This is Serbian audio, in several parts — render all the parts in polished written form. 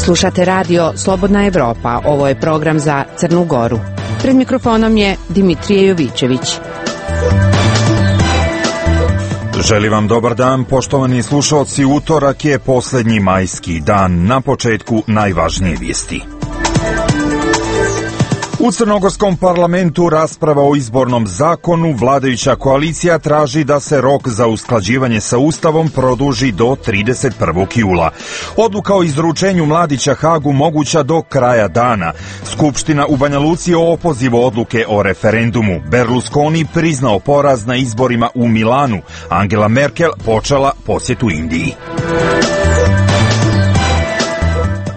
Slušate radio Slobodna Evropa. Ovo je program za Crnu Goru. Pred mikrofonom je Dimitrije Jovićević. Želim vam dobar dan, poštovani slušalci. Utorak je posljednji majski dan. Na početku najvažnije vijesti. U crnogorskom parlamentu rasprava o izbornom zakonu. Vladajuća koalicija traži da se rok za usklađivanje sa Ustavom produži do 31. jula. Odluka o izručenju Mladića Hagu moguća do kraja dana. Skupština u Banja Luci o opozivu odluke o referendumu. Berlusconi priznao poraz na izborima u Milanu. Angela Merkel počela posjetu Indiji.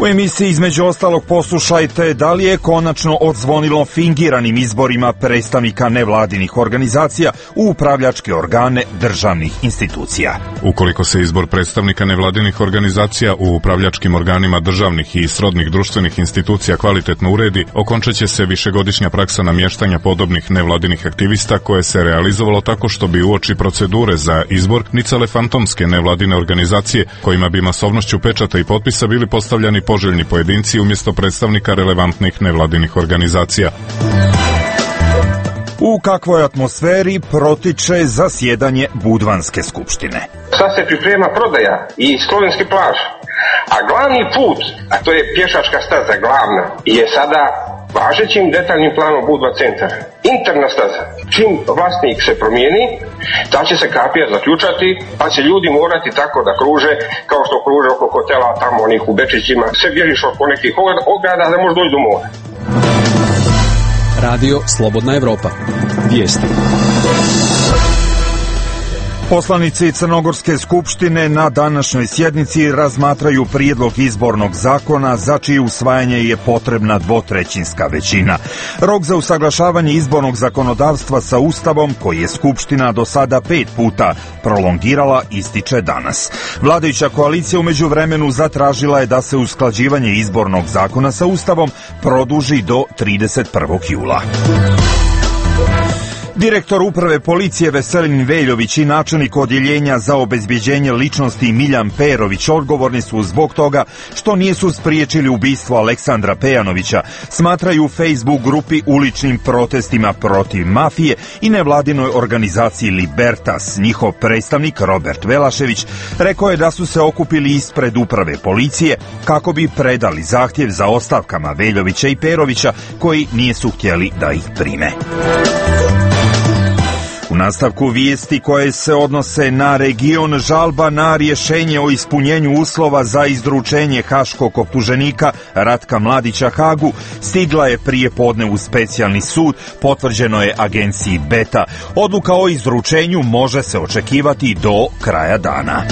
U emisiji između ostalog poslušajte da li je konačno odzvonilo fingiranim izborima predstavnika nevladinih organizacija u upravljačke organe državnih institucija. Ukoliko se izbor predstavnika nevladinih organizacija u upravljačkim organima državnih i srodnih društvenih institucija kvalitetno uredi, okončat će se višegodišnja praksa namještanja podobnih nevladinih aktivista koje se realizovalo tako što bi uoči procedure za izbor nicale fantomske nevladine organizacije kojima bi masovnošću pečata i potpisa bili postavljani poželjni pojedinci umjesto predstavnika relevantnih nevladinih organizacija. U kakvoj atmosferi protiče zasjedanje Budvanske skupštine? Sad se priprema prodaja i slovenski plaž, a glavni put, a to je pješačka staza glavna, je sada važećim detaljnim planom Budva centar. Interna staza. Čim vlasnik se promijeni, ta će se kapija zaključati, pa će ljudi morati tako da kruže, kao što kruže oko hotela tamo onih u Bečićima. Sve bježiš oko nekih ograda da možeš doći do mora. Radio Slobodna Evropa. Vijesti. Poslanici Crnogorske skupštine na današnjoj sjednici razmatraju prijedlog izbornog zakona za čije usvajanje je potrebna dvotrećinska većina. Rok za usaglašavanje izbornog zakonodavstva sa Ustavom, koji je Skupština do sada 5 puta prolongirala, ističe danas. Vladajuća koalicija u međuvremenu zatražila je da se usklađivanje izbornog zakona sa Ustavom produži do 31. jula. Direktor uprave policije Veselin Veljović i načelnik odjeljenja za obezbjeđenje ličnosti Miljan Perović odgovorni su zbog toga što nisu spriječili ubistvo Aleksandra Pejanovića, smatraju u Facebook grupi uličnim protestima protiv mafije i nevladinoj organizaciji Libertas. Njihov predstavnik Robert Velašević rekao je da su se okupili ispred uprave policije kako bi predali zahtjev za ostavkama Veljovića i Perovića koji nisu htjeli da ih prime. U nastavku vijesti koje se odnose na region, žalba na rješenje o ispunjenju uslova za izručenje haškog optuženika Ratka Mladića Hagu stigla je prije podne u specijalni sud, potvrđeno je agenciji Beta. Odluka o izručenju može se očekivati do kraja dana.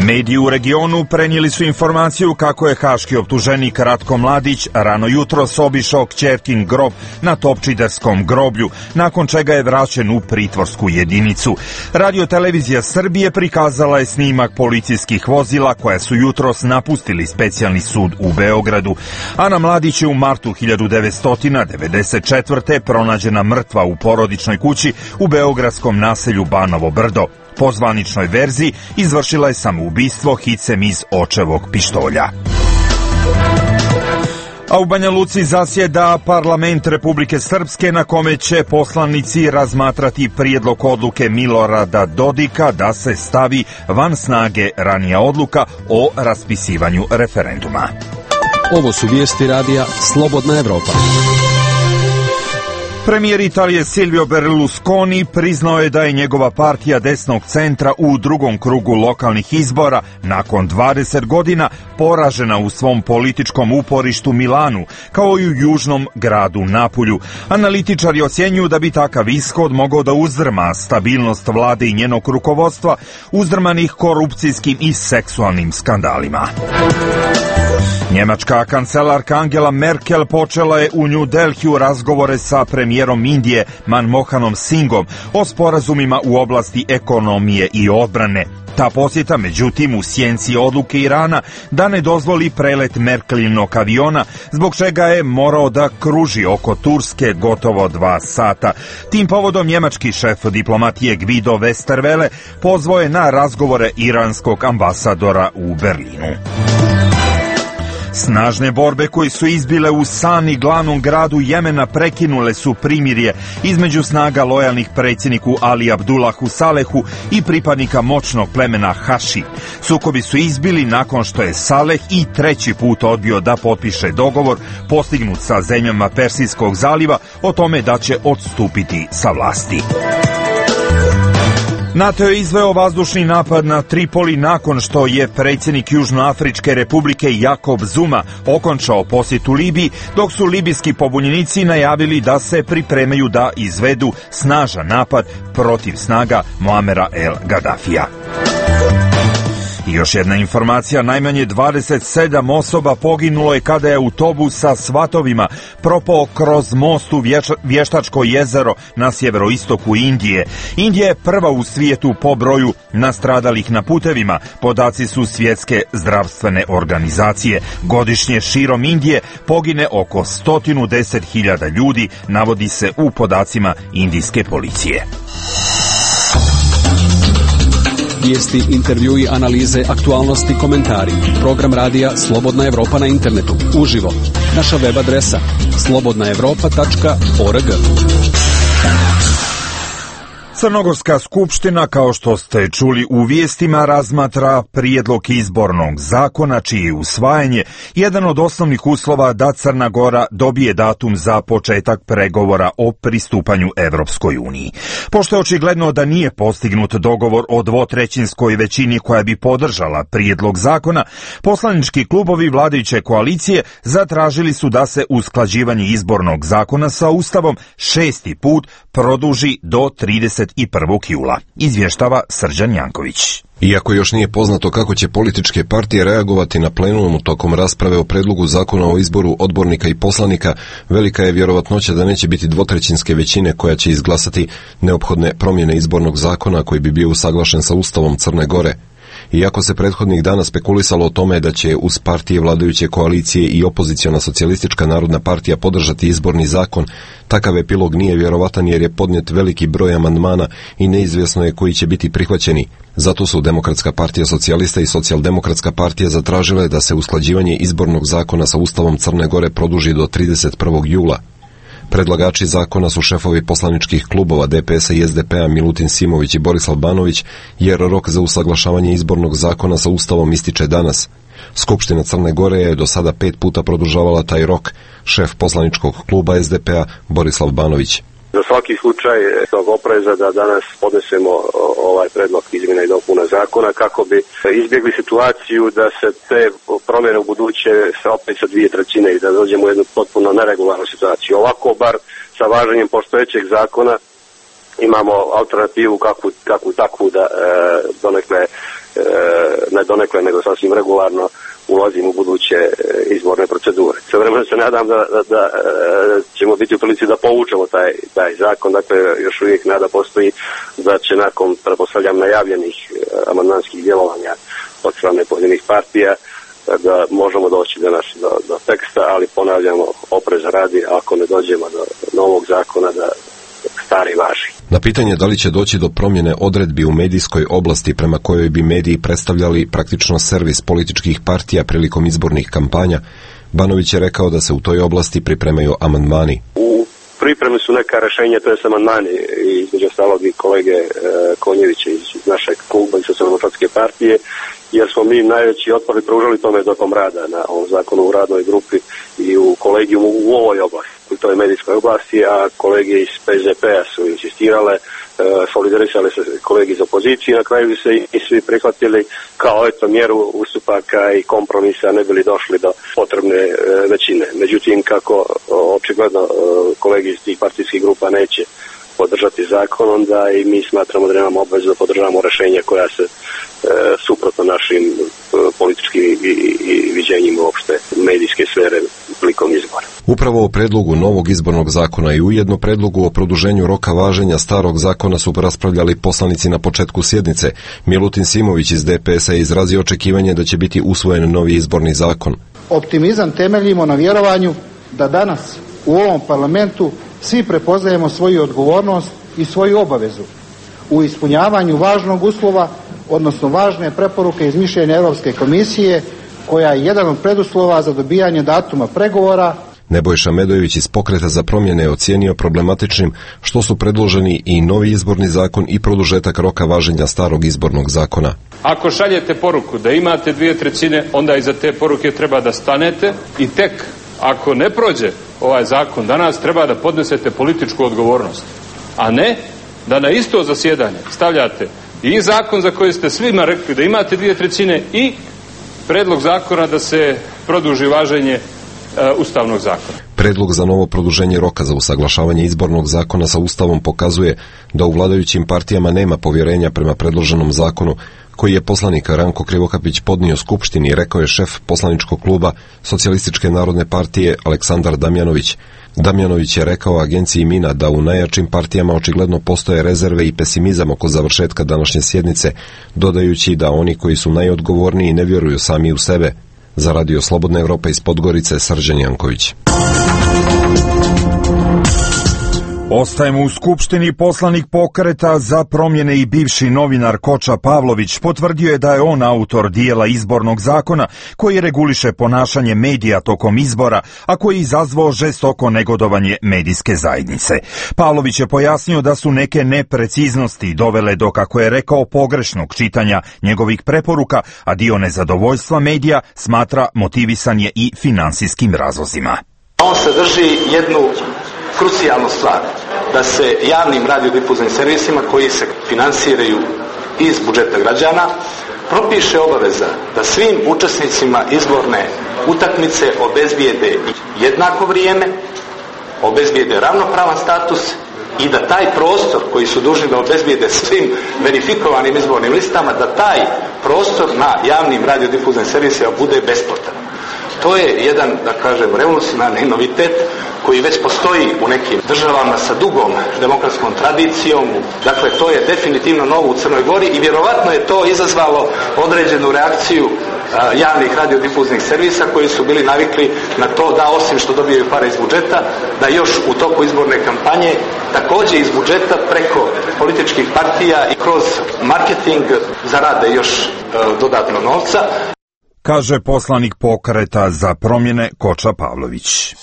Mediji u regionu prenijeli su informaciju kako je haški optuženik Ratko Mladić rano jutros obišao kćerkin grob na Topčiderskom groblju, nakon čega je vraćen u pritvorsku jedinicu. Radiotelevizija Srbije prikazala je snimak policijskih vozila koja su jutros napustili specijalni sud u Beogradu. Ana Mladić je u martu 1994. pronađena mrtva u porodičnoj kući u beogradskom naselju Banovo Brdo. Po zvaničnoj verziji izvršila je samoubistvo hicem iz očevog pištolja. A u Banja Luci zasjeda parlament Republike Srpske na kome će poslanici razmatrati prijedlog odluke Milorada Dodika da se stavi van snage ranija odluka o raspisivanju referenduma. Ovo su vijesti radija Slobodna Evropa. Premijer Italije Silvio Berlusconi priznao je da je njegova partija desnog centra u drugom krugu lokalnih izbora nakon 20 godina poražena u svom političkom uporištu Milanu, kao i u južnom gradu Napulju. Analitičari ocjenjuju da bi takav ishod mogao da uzdrma stabilnost vlade i njenog rukovodstva, uzdrmanih korupcijskim i seksualnim skandalima. Njemačka kancelarka Angela Merkel počela je u New Delhiju razgovore sa premijerom Indije Manmohanom Singhom o sporazumima u oblasti ekonomije i odbrane. Ta posjeta, međutim, u sjenci odluke Irana da ne dozvoli prelet Merkelinog aviona, zbog čega je morao da kruži oko Turske gotovo 2 sata. Tim povodom njemački šef diplomatije Guido Westerwelle pozvao je na razgovore iranskog ambasadora u Berlinu. Snažne borbe koje su izbile u Sani, glavnom gradu Jemena, prekinule su primirje između snaga lojalnih predsjedniku Ali Abdullahu Salehu i pripadnika moćnog plemena Haši. Sukobi su izbili nakon što je Saleh i treći put odbio da potpiše dogovor postignut sa zemljama Persijskog zaliva o tome da će odstupiti sa vlasti. NATO je izveo vazdušni napad na Tripoli nakon što je predsjednik Južnoafričke republike Jakob Zuma okončao posjetu Libiji, dok su libijski pobunjenici najavili da se pripremaju da izvedu snažan napad protiv snaga Muamera el Gaddafija. I još jedna informacija, najmanje 27 osoba poginulo je kada je autobus sa svatovima propao kroz most u Vještačko jezero na sjeveroistoku Indije. Indija je prva u svijetu po broju nastradalih na putevima. Podaci su Svjetske zdravstvene organizacije. Godišnje širom Indije pogine oko 110.000 ljudi, navodi se u podacima indijske policije. Vijesti, intervjui, analize, aktualnosti, komentari. Program radija Slobodna Evropa na internetu. Uživo. Naša web adresa slobodnaevropa.org. Crnogorska skupština, kao što ste čuli u vijestima, razmatra prijedlog izbornog zakona čije je usvajanje jedan od osnovnih uslova da Crna Gora dobije datum za početak pregovora o pristupanju Evropskoj uniji. Pošto je očigledno da nije postignut dogovor o dvotrećinskoj većini koja bi podržala prijedlog zakona, poslanički klubovi vladajuće koalicije zatražili su da se usklađivanje izbornog zakona sa Ustavom 6. put produži do 31. jula. Izvještava Srđan Janković. Iako još nije poznato kako će političke partije reagovati na plenumu tokom rasprave o predlogu zakona o izboru odbornika i poslanika, velika je vjerovatnoća da neće biti dvotrećinske većine koja će izglasati neophodne promjene izbornog zakona koji bi bio usaglašen sa Ustavom Crne Gore. Iako se prethodnih dana spekulisalo o tome da će uz partije vladajuće koalicije i opoziciona socijalistička narodna partija podržati izborni zakon, takav epilog nije vjerovatan jer je podnijet veliki broj amandmana i neizvjesno je koji će biti prihvaćeni. Zato su Demokratska partija socijalista i Socijaldemokratska partija zatražile da se usklađivanje izbornog zakona sa Ustavom Crne Gore produži do 31. jula. Predlagači zakona su šefovi poslaničkih klubova DPS-a i SDP-a Milutin Simović i Borislav Banović, jer rok za usaglašavanje izbornog zakona sa Ustavom ističe danas. Skupština Crne Gore je do sada 5 puta produžavala taj rok, šef poslaničkog kluba SDP-a Borislav Banović. Za svaki slučaj tog opreza da danas podnesemo ovaj predlog izmjena i dopuna zakona kako bi izbjegli situaciju da se te promjene u buduće opet sa 2/3 i da dođemo u jednu potpuno neregularnu situaciju. Ovako bar sa važenjem postojećeg zakona imamo alternativu kakvu takvu da ne donekle nego sasvim regularno ulazimo u buduće izborne procedure. Sve vremena se nadam da ćemo biti u prilici da povučemo taj zakon, dakle još uvijek nada postoji da će nakon, pretpostavljam, najavljenih amandmanskih djelovanja od strane pojedinih partija da možemo doći do teksta, ali ponavljamo, opreza radi, ako ne dođemo do novog zakona da stari važi. Na pitanje da li će doći do promjene odredbi u medijskoj oblasti prema kojoj bi mediji predstavljali praktično servis političkih partija prilikom izbornih kampanja, Banović je rekao da se u toj oblasti pripremaju amandmani. U pripremi su neka rješenja, to je amandmani između ostalog i kolege Konjevića iz našeg kluba i Socijaldemokratske partije, jer smo mi najveći otpor pružali tome tokom rada na ovom zakonu u radnoj grupi i u kolegijumu u ovoj oblasti, u toj medijskoj oblasti, a kolege iz PZP-a su insistirale, solidarisali se kolegi iz opozicije, na kraju se i svi prihvatili kao mjeru ustupaka i kompromisa, ne bili došli do potrebne većine. Međutim, kako očigledno kolegi iz tih partijskih grupa neće podržati zakon, onda i mi smatramo da nemamo obvezu da podržavamo rješenja koja se suprotno našim političkim i viđenjima uopšte medijske sfere prilikom izbora. Upravo o predlogu novog izbornog zakona i ujedno predlogu o produženju roka važenja starog zakona su raspravljali poslanici na početku sjednice. Milutin Simović iz DPS-a je izrazio očekivanje da će biti usvojen novi izborni zakon. Optimizam temeljimo na vjerovanju da danas u ovom parlamentu svi prepoznajemo svoju odgovornost i svoju obavezu u ispunjavanju važnog uslova, odnosno važne preporuke iz mišljenja Europske komisije koja je jedan od preduslova za dobijanje datuma pregovora. Nebojša Medojević iz Pokreta za promjene je ocijenio problematičnim što su predloženi i novi izborni zakon i produžetak roka važenja starog izbornog zakona. Ako šaljete poruku da imate 2/3, onda iza te poruke treba da stanete i tek ako ne prođe ovaj zakon danas treba da podnesete političku odgovornost, a ne da na isto zasjedanje stavljate i zakon za koji ste svima rekli da imate 2/3 i predlog zakona da se produži važenje Ustavnog zakona. Predlog za novo produženje roka za usaglašavanje izbornog zakona sa Ustavom pokazuje da u vladajućim partijama nema povjerenja prema predloženom zakonu koji je poslanik Ranko Krivokapić podnio Skupštini, rekao je šef poslaničkog kluba Socijalističke narodne partije Aleksandar Damjanović. Damjanović je rekao agenciji Mina da u najjačim partijama očigledno postoje rezerve i pesimizam oko završetka današnje sjednice, dodajući da oni koji su najodgovorniji ne vjeruju sami u sebe. Za Radio Slobodna Evropa iz Podgorice, Srđan Janković. Ostajemo u Skupštini. Poslanik Pokreta za promjene i bivši novinar Koča Pavlović potvrdio je da je on autor dijela izbornog zakona koji reguliše ponašanje medija tokom izbora, a koji je izazvao žestoko negodovanje medijske zajednice. Pavlović je pojasnio da su neke nepreciznosti dovele do, kako je rekao, pogrešnog čitanja njegovih preporuka, a dio nezadovoljstva medija smatra motivisan je i finansijskim razlozima. On sadrži jednu krucijalnu stvar, da se javnim radiodifuznim servisima koji se finansiraju iz budžeta građana propiše obaveza da svim učesnicima izborne utakmice obezbijede jednako vrijeme, obezbijede ravnopravan status i da taj prostor koji su dužni da obezbijede svim verifikovanim izbornim listama, da taj prostor na javnim radiodifuznim servisima bude besplatan. To je jedan, da kažem, revolucionarni novitet koji već postoji u nekim državama sa dugom demokratskom tradicijom. Dakle, to je definitivno novo u Crnoj Gori i vjerovatno je to izazvalo određenu reakciju javnih radiodifuznih servisa koji su bili navikli na to da osim što dobijaju pare iz budžeta, da još u toku izborne kampanje također iz budžeta preko političkih partija i kroz marketing zarade još dodatno novca. Kaže poslanik Pokreta za promjene Koča Pavlović.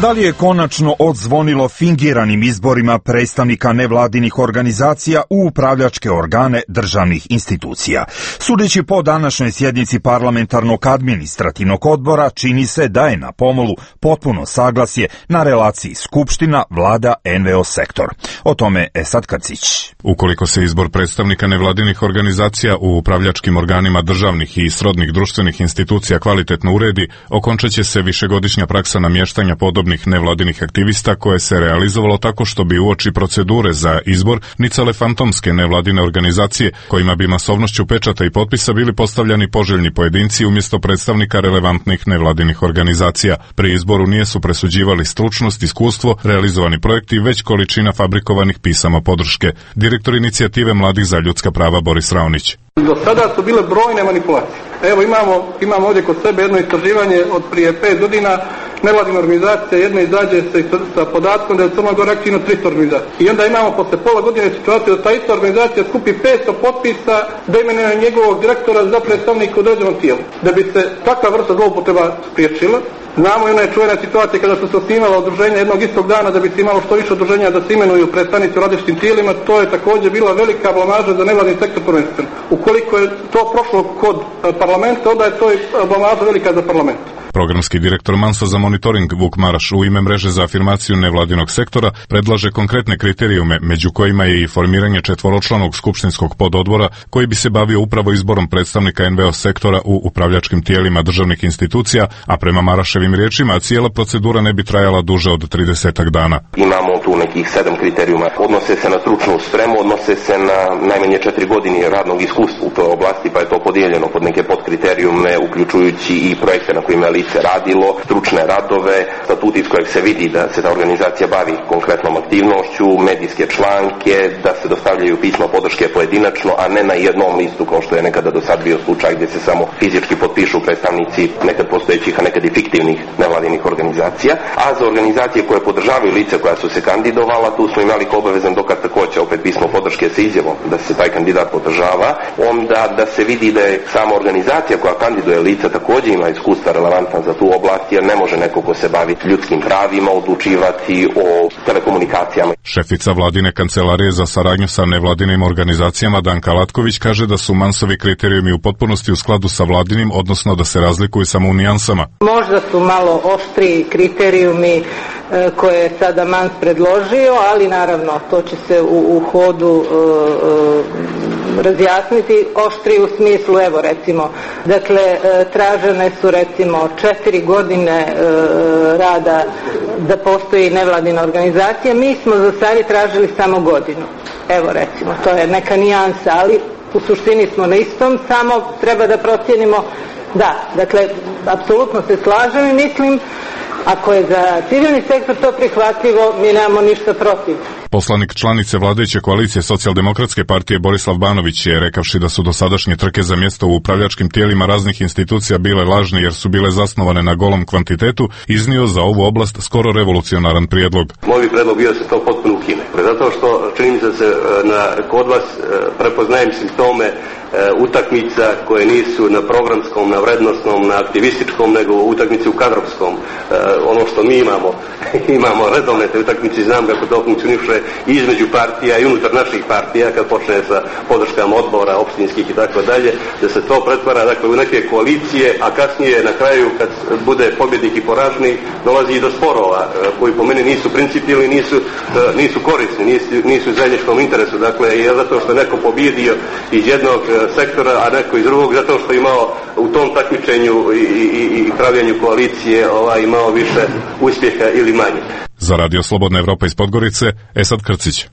Da li je konačno odzvonilo fingiranim izborima predstavnika nevladinih organizacija u upravljačke organe državnih institucija? Sudeći po današnjoj sjednici parlamentarnog administrativnog odbora, čini se da je na pomolu potpuno saglasje na relaciji Skupština, Vlada, NVO sektor. O tome Esad Kacić. Ukoliko se izbor predstavnika nevladinih organizacija u upravljačkim organima državnih i srodnih društvenih institucija kvalitetno uredi, okončaće se višegodišnja praksa namještanja podobnih nevladinih aktivista koje se realizovalo tako što bi uoči procedure za izbor nicale fantomske nevladine organizacije kojima bi masovnošću pečata i potpisa bili postavljani poželjni pojedinci umjesto predstavnika relevantnih nevladinih organizacija. Pri izboru nije su presuđivali stručnost, iskustvo, realizovani projekti, već količina fabrikovanih pisama podrške. Direktor inicijative Mladih za ljudska prava Boris Raonić. Do sada su bile brojne manipulacije. Evo imamo ovdje kod sebe jedno istraživanje od prije 5 godina. Nevladina organizacija jedna izađe sa podatkom da je u Crnoj Gori aktivno 300 organizacija. I onda imamo posle pola godine situaciju da ta ista organizacija skupi 500 potpisa da imenuje njegovog direktora za predstavnika u određenom tijelu. Da bi se takva vrsta zloupotreba spriječila, znamo i ona je čuvena situacija kada su se osnivala udruženja jednog istog dana da bi se imalo što više udruženja da se imenuju predstavnici u različitim tijelima, to je također bila velika blamaža za nevladni sektor prvenstveno. Ukoliko je to prošlo kod parlamenta, onda je to i blamaža velika za parlament. Programski direktor Manso za monitoring Vuk Maraš u ime mreže za afirmaciju nevladinog sektora predlaže konkretne kriterijume, među kojima je i formiranje četvoročlanog skupštinskog pododbora koji bi se bavio upravo izborom predstavnika NVO sektora u upravljačkim tijelima državnih institucija, a prema Maraševim riječima cijela procedura ne bi trajala duže od 30 dana. Imamo tu nekih 7 kriterijuma. Odnose se na stručnu spremu, odnose se na najmanje 4 godine radnog iskustva u toj oblasti, pa je to podijeljeno pod neke podkriterijume, uključujući i projekte na kojima je se radilo, stručne radove, statut iz kojeg se vidi da se ta organizacija bavi konkretnom aktivnošću, medijske članke, da se dostavljaju pisma podrške pojedinačno, a ne na jednom listu kao što je nekada do sad bio slučaj gdje se samo fizički potpišu predstavnici nekad postojećih, a nekad i fiktivnih nevladinih organizacija. A za organizacije koje podržavaju lice koja su se kandidovala, tu smo imali kao obavezan dokaz također opet pismo podrške sa izjavom da se taj kandidat podržava, onda da se vidi da je sama organizacija koja kandiduje lice također ima iskustva relevantna za tu oblast, jer ne može neko ko se bavi ljudskim pravima odlučivati o telekomunikacijama. Šefica vladine kancelarije za saradnju sa nevladinim organizacijama Danka Latković kaže da su Mansovi kriterijumi u potpunosti u skladu sa vladinim, odnosno da se razlikuju samo u nijansama. Možda su malo oštriji kriterijumi koje je sada Mans predložio, ali naravno to će se u hodu razjasniti. Oštri u smislu, evo recimo, dakle tražene su recimo 4 godine rada da postoji nevladina organizacija. Mi smo za sada tražili samo godinu. Evo recimo, to je neka nijansa, ali u suštini smo na istom, samo treba da procijenimo. Da, dakle, apsolutno se slažem i mislim, ako je za civilni sektor to prihvatljivo, mi nemamo ništa protiv. Poslanik članice vladajuće koalicije Socijaldemokratske partije Borislav Banović je, rekavši da su dosadašnje trke za mjesto u upravljačkim tijelima raznih institucija bile lažne jer su bile zasnovane na golom kvantitetu, iznio za ovu oblast skoro revolucionaran prijedlog. Moj prijedlog bio da se to potpuno ukine. Zato što čini mi se da se kod vas prepoznajem simptome utakmica koje nisu na programskom, na vrednosnom, na aktivističkom, nego utakmici u kadrovskom. Ono što mi imamo redovne te utakmice, znam kako to funkcioniše između partija i unutar naših partija, kad počne sa podrškama odbora, opštinskih i tako dalje, da se to pretvara dakle u neke koalicije, a kasnije na kraju kad bude pobjednik i poraženi dolazi i do sporova koji po meni nisu principijelni, nisu korisni, nisu u zajedničkom interesu. Dakle, je zato što je neko pobjedio iz jednog sektora, a neko iz drugog, zato što je imao u tom takmičenju i pravljenju koalicije imao više uspjeha ili manje. Za Radio Slobodna Evropa iz Podgorice, Esad Krcić.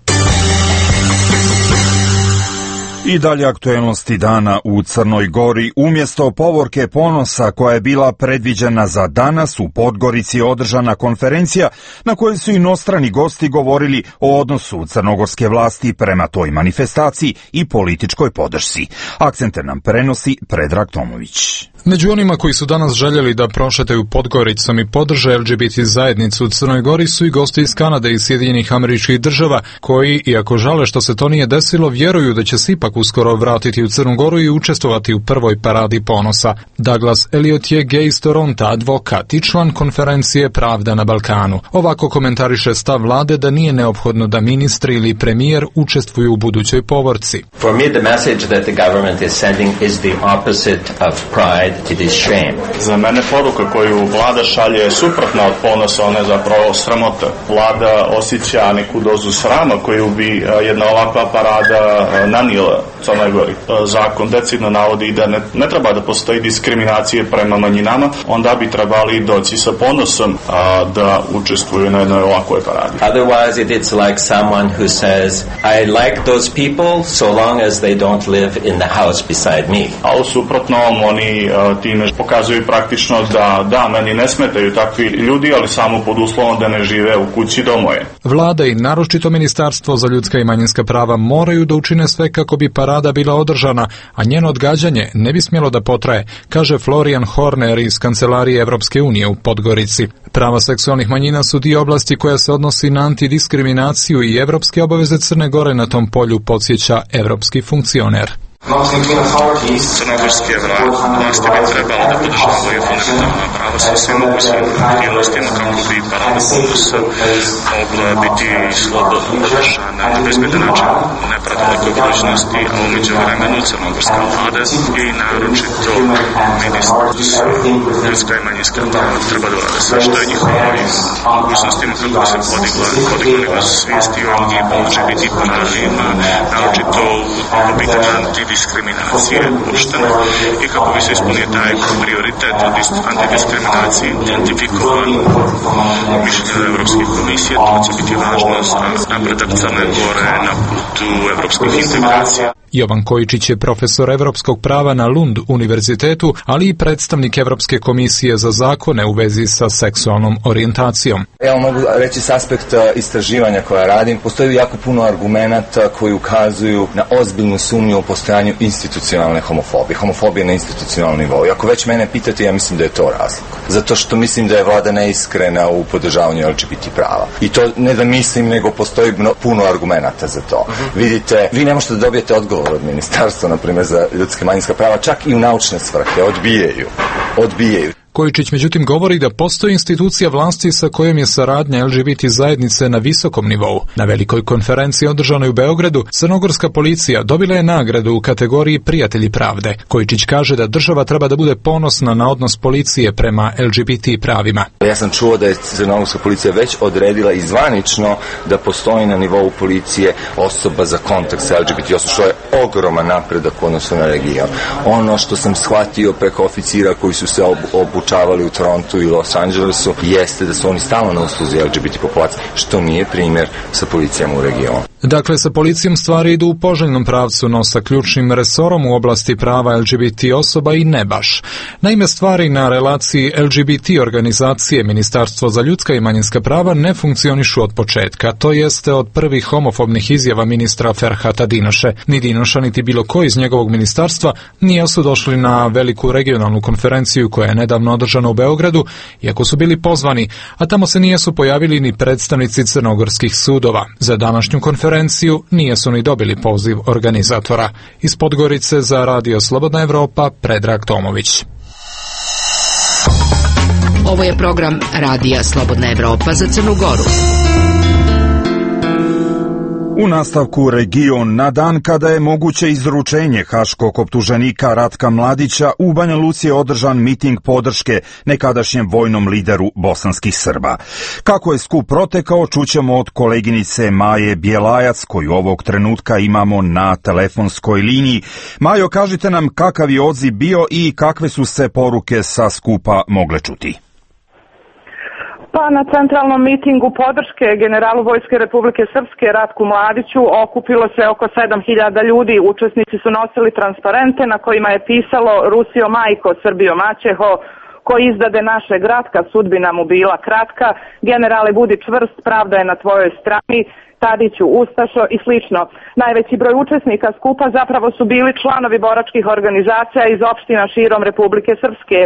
I dalje aktuelnosti dana u Crnoj Gori. Umjesto povorke ponosa koja je bila predviđena za danas, u Podgorici je održana konferencija na kojoj su inostrani gosti govorili o odnosu crnogorske vlasti prema toj manifestaciji i političkoj podršci. Akcente nam prenosi Predrag Tomović. Među onima koji su danas željeli da prošetaju Podgoricom i podrže LGBT zajednicu u Crnoj Gori su i gosti iz Kanade i Sjedinjenih Američkih Država, koji, iako žale što se to nije desilo, vjeruju da će se ipak uskoro vratiti u Crnu Goru i učestvovati u prvoj paradi ponosa. Douglas Elliot je gej iz Toronta, advokat i član konferencije Pravda na Balkanu. Ovako komentariše stav vlade da nije neophodno da ministri ili premijer učestvuju u budućoj povorci. For me, the message that the government is sending is the opposite of pride. It is shame. Za mene poruka koju vlada šalje je suprotna od ponosa, ona je zapravo sramota. Vlada osjeća neku dozu srama koju bi jedna ovakva parada nanijela Crnoj Gori. Zakon decidno navodi da ne treba da postoji diskriminacije prema manjinama, onda bi trebali doći sa ponosom da učestvuju na jednoj ovakvoj paradi. Otherwise it's like someone who says I like those people so long as they don't live in the house beside me. A u suprotnom oni time pokazuju praktično da meni ne smetaju takvi ljudi, ali samo pod uslovom da ne žive u kući do moje. Vlada i naročito Ministarstvo za ljudska i manjinska prava moraju da učine sve kako bi parada bila održana, a njeno odgađanje ne bi smjelo da potraje, kaže Florian Horner iz Kancelarije Evropske unije u Podgorici. Prava seksualnih manjina su dio oblasti koja se odnosi na antidiskriminaciju i evropske obaveze Crne Gore na tom polju, podsjeća evropski funkcioner. Crnogorske vlasti bi trebalo da podržavaju fundamentalna prava sa svim mogućim aktivnostima kako bi parada ponosa mogla biti slobodno održana na bezbedan način u nepredalekoj budućnosti, a u međuvremenu crnogorska vlada i naročito ministarstvo ljudska i manjinska prava treba da urade sve što je njihovim mogućnostima kako bi se podigla nivo svijesti o LGBT pravima, naročito u pitanju diskriminacije uopštene i kako bi se ispunio taj prioritet antidiskriminacije identifikovan mišljenja Evropske komisije. To će biti važno za napredak Crne Gore na putu evropskih integracija. Jovan Kojičić je profesor evropskog prava na Lund univerzitetu, ali i predstavnik Evropske komisije za zakone u vezi sa seksualnom orijentacijom. Evo mogu reći s aspekta istraživanja koja radim, postoji jako puno argumenata koji ukazuju na ozbiljnu sumnju o postojanju institucionalne homofobije. Homofobije na institucionalnom nivou. I ako već mene pitate, ja mislim da je to razlog. Zato što mislim da je vlada neiskrena u podržavanju LGBT prava. I to ne da mislim, nego postoji puno argumenata za to. Vidite, vi ne možete da dobijete odgovor od ministarstva, na primjer, za ljudska manjinska prava, čak i u naučne svrhe. Odbijaju. Kojičić međutim govori da postoji institucija vlasti sa kojom je saradnja LGBT zajednice na visokom nivou. Na velikoj konferenciji održanoj u Beogradu, crnogorska policija dobila je nagradu u kategoriji Prijatelji pravde. Kojičić kaže da država treba da bude ponosna na odnos policije prema LGBT pravima. Ja sam čuo da je crnogorska policija već odredila i zvanično da postoji na nivou policije osoba za kontakt sa LGBT osobom, što je ogroman napredak u odnosu na region. Ono što sam shvatio preko oficira koji su se obučavali u Torontu i Los Angelesu jeste da su oni stalno na usluzi LGBT populacije, što nije primjer sa policijama u regionu. Dakle, sa policijom stvari idu u poželjnom pravcu, no sa ključnim resorom u oblasti prava LGBT osoba i ne baš. Naime, stvari na relaciji LGBT organizacije Ministarstvo za ljudska i manjinska prava ne funkcionišu od početka, to jeste od prvih homofobnih izjava ministra Ferhata Dinoše. Ni Dinoša, niti bilo ko iz njegovog ministarstva nisu došli na veliku regionalnu konferenciju koja je nedavno održana u Beogradu, iako su bili pozvani, a tamo se nisu pojavili ni predstavnici crnogorskih sudova. Za današnju konferenciju nisu ni dobili poziv organizatora. Iz Podgorice za Radio Slobodna Evropa, Predrag Tomović. Ovo je program Radija Slobodna Evropa za Crnu Goru. U nastavku region, na dan kada je moguće izručenje haškog optuženika Ratka Mladića, u Banja Luci je održan miting podrške nekadašnjem vojnom lideru bosanskih Srba. Kako je skup protekao, čućemo od koleginice Maje Bjelajac, koju ovog trenutka imamo na telefonskoj liniji. Majo, kažite nam kakav je odziv bio i kakve su se poruke sa skupa mogle čuti. Pa na centralnom mitingu podrške generalu Vojske Republike Srpske Ratku Mladiću okupilo se oko 7.000 ljudi. Učesnici su nosili transparente na kojima je pisalo Rusio majko, Srbijo maćeho, ko izdade našeg Ratka, sudbina mu bila kratka, generale budi čvrst, pravda je na tvojoj strani, Tadiću ustašo i slično. Najveći broj učesnika skupa zapravo su bili članovi boračkih organizacija iz opština širom Republike Srpske.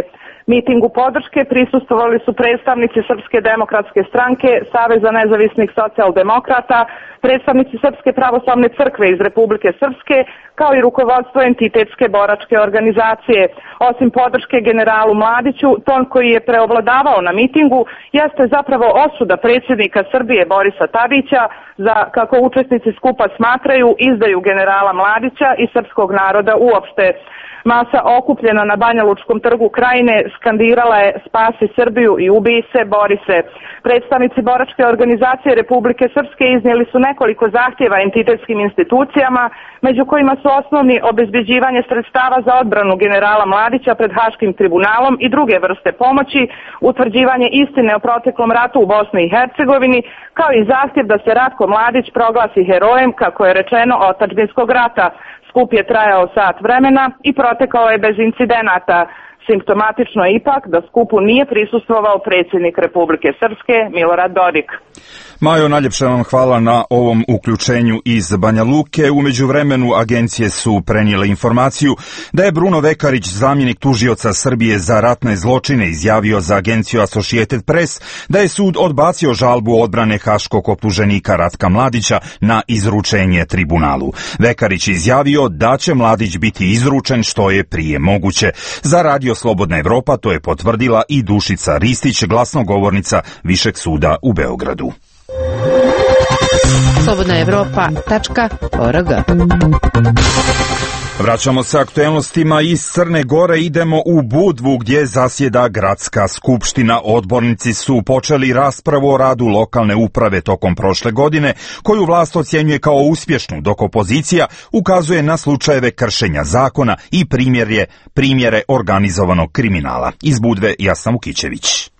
Mitingu podrške prisustvovali su predstavnici Srpske demokratske stranke, Saveza nezavisnih socijaldemokrata, predstavnici Srpske pravoslavne crkve iz Republike Srpske, kao i rukovodstvo entitetske boračke organizacije. Osim podrške generalu Mladiću, ton koji je preovladavao na mitingu jeste zapravo osuda predsjednika Srbije Borisa Tadića za, kako učesnici skupa smatraju, izdaju generala Mladića i srpskog naroda uopšte. Masa okupljena na Banjalučkom trgu Krajine skandirala je spasi Srbiju i ubij se, bori se. Predstavnici boračke organizacije Republike Srpske iznijeli su nekoliko zahtjeva entitetskim institucijama, među kojima su osnovni obezbeđivanje sredstava za odbranu generala Mladića pred Haškim tribunalom i druge vrste pomoći, utvrđivanje istine o proteklom ratu u Bosni i Hercegovini, kao i zahtjev da se Ratko Mladić proglasi herojem, kako je rečeno, otadžbinskog rata. Skup je trajao sat vremena i protekao je bez incidenata. Simptomatično je ipak da skupu nije prisustvovao predsjednik Republike Srpske Milorad Dodik. Majo, najljepše vam hvala na ovom uključenju iz Banja Luke. U međuvremenu agencije su prenijele informaciju da je Bruno Vekarić, zamjenik tužioca Srbije za ratne zločine, izjavio za agenciju Associated Press da je sud odbacio žalbu odbrane haškog optuženika Ratka Mladića na izručenje tribunalu. Vekarić izjavio da će Mladić biti izručen što je prije moguće. Za Radio Slobodna Evropa to je potvrdila i Dušica Ristić, glasnogovornica Višeg suda u Beogradu. slobodnaevropa.org. Vraćamo se aktuelnostima iz Crne Gore, idemo u Budvu gdje zasjeda gradska skupština. Odbornici su počeli raspravu o radu lokalne uprave tokom prošle godine, koju vlast ocjenjuje kao uspješnu, dok opozicija ukazuje na slučajeve kršenja zakona i primjere organizovanog kriminala. Iz Budve Jasna Vukićević.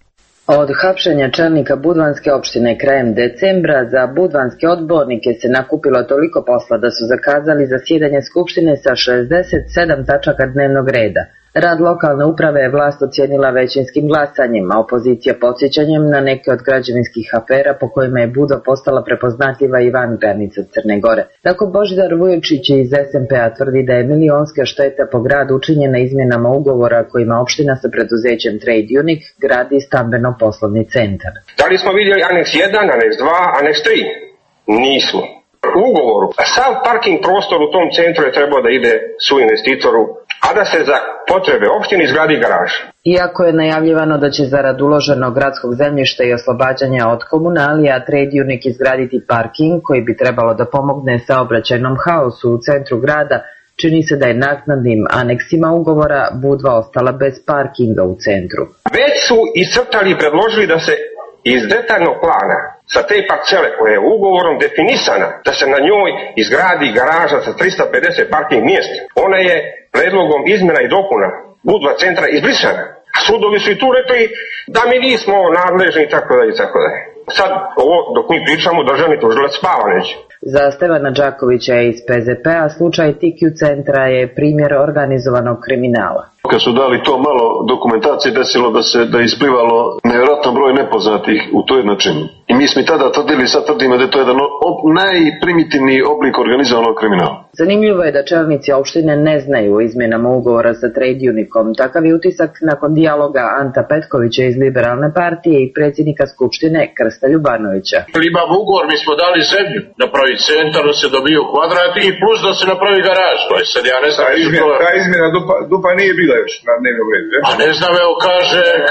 Od hapšenja čelnika Budvanske opštine krajem decembra za budvanske odbornike se nakupilo toliko posla da su zakazali zasjedanje Skupštine sa 67 tačaka dnevnog reda. Rad lokalne uprave je vlast ocijenila većinskim glasanjem, a opozicija podsjećanjem na neke od građevinskih afera po kojima je Budva postala prepoznatljiva i van granica Crne Gore. Tako Božidar Vujočić iz SMP-a tvrdi da je milionska šteta po gradu učinjena izmjenama ugovora kojima opština sa preduzećem Trade Unic gradi stambeno-poslovni centar. Da li smo vidjeli aneks 1, aneks 2, aneks 3? Nismo. U ugovoru sav parking prostor u tom centru je trebao da ide su investitoru, a da se za potrebe opštine izgradi garaža. Iako je najavljivano da će zarad uloženog gradskog zemljišta i oslobađanja od komunalija Trade Unic izgraditi parking koji bi trebalo da pomogne saobraćajnom haosu u centru grada, čini se da je naknadnim aneksima ugovora Budva ostala bez parkinga u centru. Već su iscrtali i predložili da se iz detaljnog plana sa te parcele koja je ugovorom definisana da se na njoj izgradi garaža sa 350 parking mjesta. Ona je predlogom izmjena i dopuna Budva centra izbrisana. A sudovi su i tu rekli da mi nismo nadležni i tako dalje i tako dalje. Sad ovo dok mi pričamo državni tužilac spava neće. Za Stevana Đakovića iz PZP-a slučaj TQ centra je primjer organizovanog kriminala. Kad su dali to malo dokumentacije, desilo da je isplivalo nevjerojatan broj nepoznatih u toj načinu. I mi smo i tada tvrdili, sad tvrdimo da je to jedan najprimitivniji oblik organizovanog kriminala. Zanimljivo je da čelnici opštine ne znaju o izmjenama ugovora sa Trade Unicom. Takav je utisak nakon dijaloga Anta Petkovića iz Liberalne partije i predsjednika Skupštine Krsta Ljubanovića. Imamo ugovor, mi smo dali zemlju, napravi centar, da se dobiju kvadrati i plus da se napravi garaž. To je sad, ja ne znam. Ta izmjena dupa nije bila još na dnevnom redu. A ne znam, evo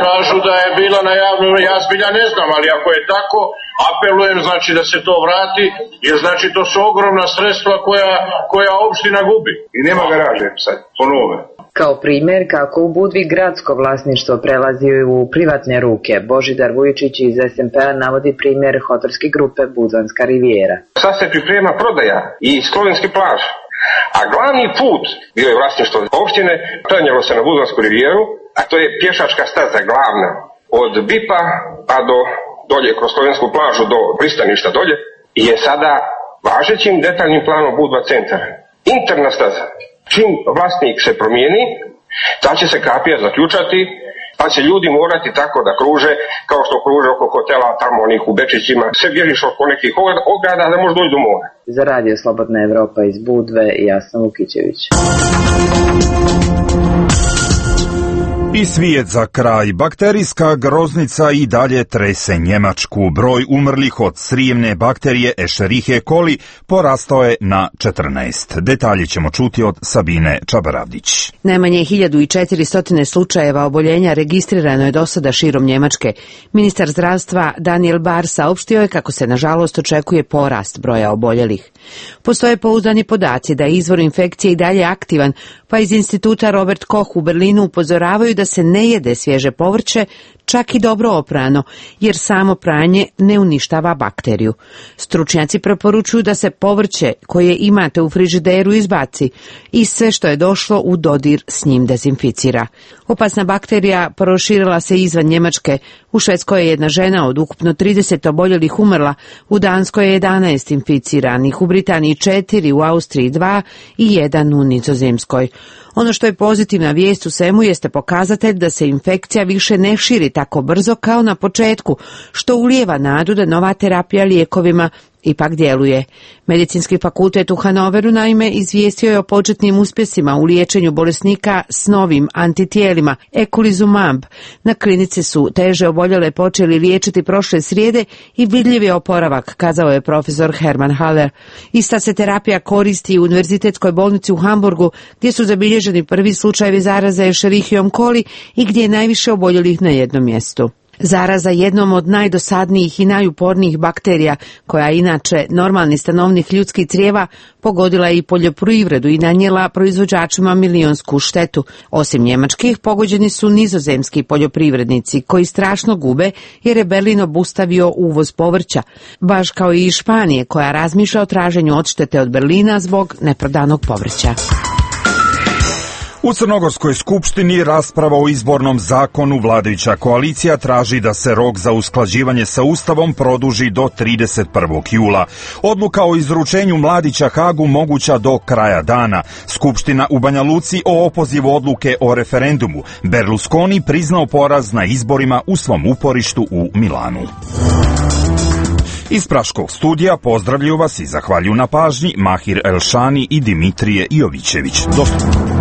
kažu da je bila na javnom, ja zbilja ne znam, ali ako je tako, apelujem znači da se to vrati, jer znači to su ogromna sredstva koja opština gubi. I nema garaže sad, ponove. Kao primjer kako u Budvi gradsko vlasništvo prelazi u privatne ruke, Božidar Vujičić iz SMP-a navodi primjer hotelske grupe Budvanska rivijera. Sad se priprema prodaja i slovenski plaž, a glavni put bio je vlasništvo opštine, prenijelo se na Budvansku rivijeru, a to je pješačka staza glavna od BIP-a pa do dolje kroz slovensku plažu do pristaništa dolje i je sada važećim detaljnim planom Budva centar. Interna staza. Čim vlasnik se promijeni, ta će se kapija zaključati, pa će ljudi morati tako da kruže, kao što kruže oko hotela, tamo onih u Bečićima, sve bježiš oko nekih ograda da možeš doći do mora. Za Radio Slobodna Evropa iz Budve, Jasna Vukićević. I svijet za kraj. Bakterijska groznica i dalje trese Njemačku. Broj umrlih od srijemne bakterije Escherichia coli porastao je na 14. Detalje ćemo čuti od Sabine Čabaravdić. Najmanje 1400 slučajeva oboljenja registrirano je do sada širom Njemačke. Ministar zdravstva Daniel Bahr saopštio je kako se nažalost očekuje porast broja oboljelih. Postoje pouzdani podaci da je izvor infekcije i dalje aktivan, pa iz instituta Robert Koch u Berlinu upozoravaju da se ne jede svježe povrće, čak i dobro oprano, jer samo pranje ne uništava bakteriju. Stručnjaci preporučuju da se povrće koje imate u frižideru izbaci i sve što je došlo u dodir s njim dezinficira. Opasna bakterija proširila se izvan Njemačke. U Švedskoj je jedna žena od ukupno 30 oboljelih umrla, u Danskoj je 11 inficiranih, u Britaniji 4, u Austriji 2 i 1 u Nizozemskoj. Ono što je pozitivna vijest u svemu jeste pokazatelj da se infekcija više ne širi tako brzo kao na početku, što ulijeva nadu da nova terapija lijekovima ipak djeluje. Medicinski fakultet u Hanoveru naime izvijestio je o početnim uspjesima u liječenju bolesnika s novim antitijelima eculizumab. Na klinici su teže oboljele počeli liječiti prošle srijede i vidljiv je oporavak, kazao je profesor Herman Haller. Ista se terapija koristi u Univerzitetskoj bolnici u Hamburgu, gdje su zabilježeni prvi slučajevi zaraze Escherichiom coli i gdje je najviše oboljelih na jednom mjestu. Zaraza jednom od najdosadnijih i najupornijih bakterija, koja inače normalni stanovnik ljudskih crijeva, pogodila je i poljoprivredu i nanijela proizvođačima milionsku štetu. Osim njemačkih, pogođeni su nizozemski poljoprivrednici, koji strašno gube jer je Berlin obustavio uvoz povrća, baš kao i Španije, koja razmišlja o traženju odštete od Berlina zbog neprodanog povrća. U Crnogorskoj skupštini rasprava o izbornom zakonu. Vladajuća koalicija traži da se rok za usklađivanje sa Ustavom produži do 31. jula. Odluka o izručenju Mladića Hagu moguća do kraja dana. Skupština u Banja Luci o opozivu odluke o referendumu. Berlusconi priznao poraz na izborima u svom uporištu u Milanu. Iz Praškog studija pozdravljuju vas i zahvaljuju na pažnji Mahir Elšani i Dimitrije Jovićević. Do slušanja.